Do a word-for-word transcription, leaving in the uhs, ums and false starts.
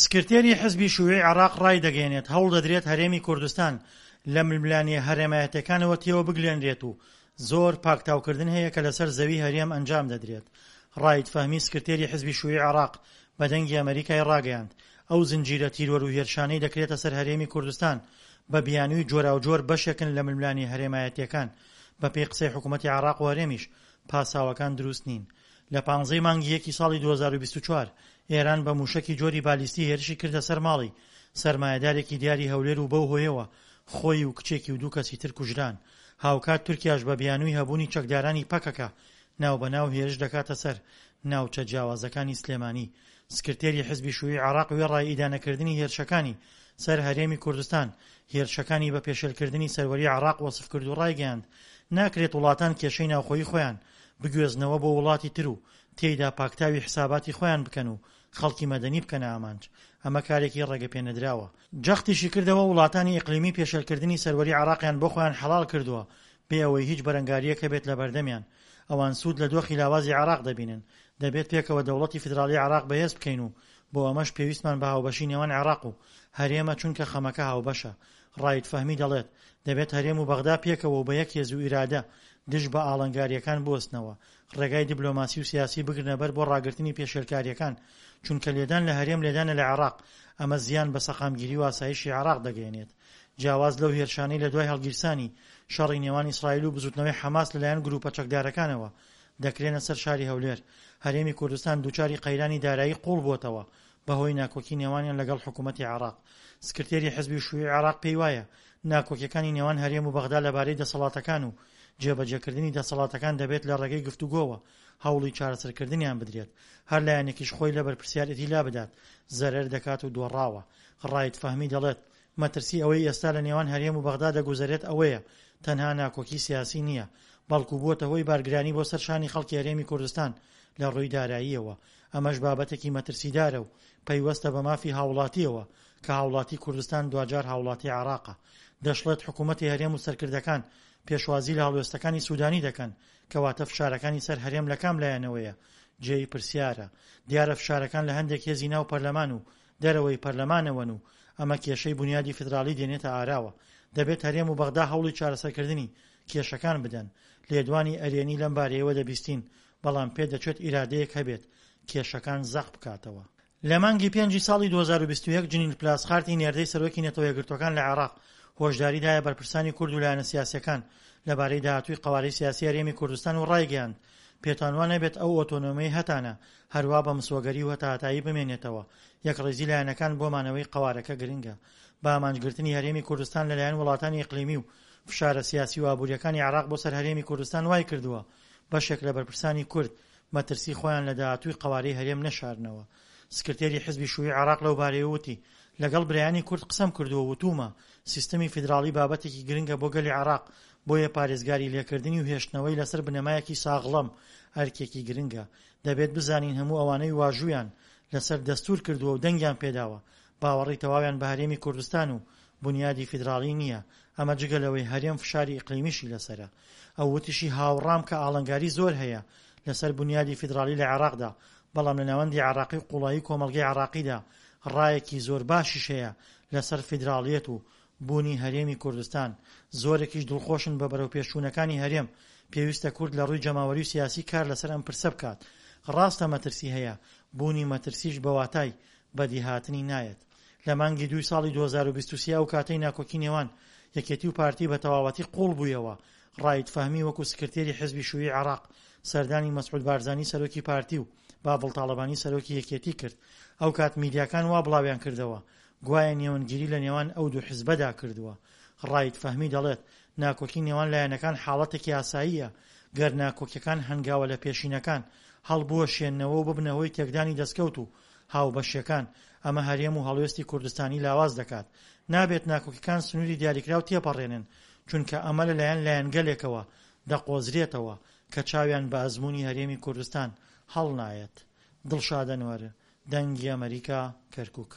سکرتێری حزبی شیوعی عێراق ڕایدەگەیەنێت، هەوڵدەدرێت هەرێمی کوردستان لە ململانێ هەرێمایەتیەکانەوە تێوەبگلێنرێت و زۆر پاکتاوکردن هەیە کە لەسەر زەوی هەرێم ئەنجام دەدرێت. ڕائید فەهمی سکرتێری حزبی شیوعی عێراق بە دەنگی ئەمەریکای ڕاگەیاند، ئەو زنجیرە تیرۆر و هێرشانەی دەکرێتە سەر هەرێمی کوردستان بە بیانووی جۆراوجۆر بەشێکن لە ململانێ هەرێمایەتیەکان، بەپێی قسەی حکومەتی عێراق و هەرێمیش پاساوەکان دروست نین. لە پانزەی مانگی یەکی ساڵی دوو هەزار و بیست و چوار ئێران بە مووشەکی جۆری بالیستی هێرشی کردە سەر ماڵی سەرمایەدارێکی دیاری هەولێر و بەو هۆیەوە خۆی و کچێکی و دوو کەسی تر کوژران. هاوکات تورکیاش بە بیانووی هەبوونی چەکدارانی پەکەکە ناوبەناو هێرش دەکاتە سەر ناوچە جیاوازەکانی سلێمانی. سکرتێری حزبی شیوعی عێراق وێڕای ئیدانەکردنی هێرشەکانی سەر هەرێمی کوردستان، هێرشەکانی بە پێشێلکردنی سەروەری عێراق وەسف کرد و ڕایگەیاند، ناکرێت وڵاتان کێشەی ناوخۆیی خۆیان بگوێزنەوە بۆ وڵاتی تر و تێیدا پاکتاوی حساباتی خۆیان بکەن و خەڵکی مەدەنی بکەنە ئامانج، ئەمە کارێکی ڕێگەپێنەدراوە. جەختیشی کردەوە، وڵاتانی ئیقلیمی پێشێلکردنی سەروەری عێراقیان بۆ خۆیان حەڵاڵ کردووە بێ ئەوەی هیچ بەرەنگارییەک هەبێت لە بەردەمیان، ئەوان سوود لە دۆخی لاوازی عێراق دەبینن، دەبێت پێکەوە دەوڵەتی فیدراڵی عێراق بەهێز بکەین و بۆ ئەمەش پێویستمان بە هاوبەشی نێوان عێراق و هەرێمە چونکە خەمەکە هاوبەشە. ڕائید فەهمی دەڵێت، دەبێت هەرێم و بەغدا پێکەوە و بە یەک هێز و ئیرادە دژ بە ئاڵنگارییەکان بوەستنەوە، ڕێگای دیبلۆماسی و سیاسی بگرنە بەر بۆ ڕاگرتنی پێشێلکارییەکان، چونکە لێدان لە هەرێم لێدانە لە عێراق، ئەمە زیان بە سەقامگیری و ئاسایشی عێراق دەگەیەنێت. جیاواز لەو هێرشانەی لە دوای هەڵگیرسانی شەڕی نێوان ئیسرائیل و بزوتنەوەی حەماس لەلایەن گروپە چەکدارەکانەوە دەکرێنە سەر شاری هەولێر، هەرێمی کوردستان دووچاری قەیرانی دارایی قوڵ بووەتەوە بەهۆی ناکۆکی نێوانیان لەگەڵ حکوومەتی عێراق. سکرتێری حزبی شیوعی عێراق پێیوایە ناکۆکیەکانی نێوان هەرێم و بەغدا لەبارەی دەسەڵاتەکان و جێبەجێکردنی دەسەڵاتەکان دەبێت لە ڕێگەی گفتوگۆوە هەوڵی چارەسەرکردنیان بدرێت، هەر لایەنێکیش خۆی لە بەرپرسیارێتی لابدات زەرەر دەکات و دۆڕاوە. ڕائید فەهمی دەڵێت، مەترسی ئەوەی ئێستا لە نێوان هەرێم و بەغدا دەگوزەرێت ئەوەیە تەنها ناکۆکی سیاسی نییە، بەڵکو بووەتە هۆی بارگرانی بۆ سەر شانی خەڵکی هەرێمی کوردستان لە ڕووی داراییەوە، ئەمەش بابەتێکی مەترسیدارە و پەیوەستە بە مافی هاوڵاتیەوە کە هاوڵاتی کوردستان دواجار هاوڵاتی عێراقە. دەشڵێت، حکوومەتی هەرێم و سەرکردەکان پێشوازی لە هەڵوێستەکانی سودانی دەکەن، کەواتە فشارەکانی سەر هەرێم لە کام لایەنەوەیە جێی پرسیارە. دیارە فشارەکان لە هەندێک هێزی ناو پەرلەمان و دەرەوەی پەرلەمانەوەن و ئەمە کێشەی بونیادی فیدراڵی دێنێتە ئاراوە. دەبێت هەرێم و بەغدا هەوڵی چارەسەرکردنی کێشەکان بدەن. لێدوانی ئەرێنی لەم بارەیەوە دەبیستین، بەڵام پێدەچێت ئیرادەیەک هەبێت کێشەکان زەق بکاتەوە. لە مانگی پێنجی ساڵی دوو هەزار و بیست و یەک جنین پلاسخارتی نێردەی سەرۆکی نەتەوە یەکگرتووەکان لە عێراق هۆشداری دایە بەرپرسانی کورد و لایەنە سیاسیەکان لەبارەی داهاتووی قەوارەی سیاسی هەرێمی کوردستان و ڕایگەیاند، پێتان وا نەبێت ئەو ئۆتۆنۆمیەی هەتانە هەروا بە مسۆگەری و هەتاهەتایی بمێنێتەوە، یەکڕیزی لایەنەکان بۆ مانەوەی قەوارەکە گرنگە. بە ئامانجگرتنی هەرێمی کوردستان لەلایەن وڵاتانی ئیقلیمی و فشارە سیاسی و ئابووریەکانی عێراق بۆ سەر هەرێمی کوردستان وای کردووە بەشێک لە بەرپرسانی کورد مەترسی خۆیان لە داهاتووی قەوارەی هەرێم نەشارنەوە. سکرتێری حزبی شیوعی عێراق لەو بارەیەوە وتی، لەگەڵ برایانی کورد قسەم کردووە و وتوومە سیستمی فیدراڵی بابەتێکی گرنگە بۆ گەلی عێراق، بۆیە پارێزگاری لێکردنی و هێشتنەوەی لەسەر بنەمایەکی ساغڵەم ئەرکێکی گرنگە. دەبێت بزانین هەموو ئەوانەی واژوویان لەسەر دەستوور کردووە و دەنگیان پێداوە باوەڕی تەواویان بە هەرێمی کوردستان و بونیادی فیدراڵی نییە، ئەمە جگە لەوەی هەرێم فشاری ئیقلیمیشی لەسەرە. ئەو وتیشی، هاوڕام کە ئاڵنگاری زۆر هەیە لەسەر بونیادی فیدراڵی لە عێراقدا، بەڵام لە ناوەندی عێراقی و قوڵایی کۆمەڵگەی عێراقیدا ڕایەکی زۆر باشیش هەیە لەسەر فیدراڵیەت و بوونی هەرێمی کوردستان، زۆرێکیش دڵخۆشن بە بەرەوپێشچوونەکانی هەرێم، پێویستە کورد لە ڕووی جەماوەری و سیاسی کار لەسەر ئەم پرسە بکات. ڕاستە مەترسی هەیە، بوونی مەترسیش بە واتای بەدیهاتنی نایەت. لە مانگی دووی ساڵی دوو هەزار و بیست و سێ ئەو کاتەی ناکۆکی نێوان یەکێتی و پارتی بە تەواوەتی قوڵ بوویەوە، ڕائید فەهمی وەکو سکرتێری حزبی شیوعی عێراق سەردانی مەسعود بارزانی سەرۆکی پارتی و باڤڵ تاڵەبانی سەرۆکی یەکێتی کرد. ئەو کات میدیاکان وا بڵاویان کردەوە گوایە نێوەندگیری لە نێوان ئەو دوو حزبەدا کردووە. ڕائید فەهمی دەڵێت، ناکۆکی نێوان لایەنەکان حاڵەتێکی ئاساییە، گەر ناکۆکیەکان هەنگاوە لە پێشینەکان هەڵبوەشێنەوە و ببنە هۆی تێکدانی دەستکەوت و هاوبەشیەکان، ئەمە هەرێم و هەڵوێستی کوردستانی لاواز دەکات. نابێت ناکۆکیەکان سنووری دیاریکراو تێپەڕێنن، چونکە ئەمە لەلایەن لایەنگەلێکەوە دەقۆزرێتەوە کە چاویان بە ئەزموونی هەرێمی کوردستان هەڵنایەت. دڵشاد ئەنوەر، دەنگی ئەمەریکا، کەرکوک.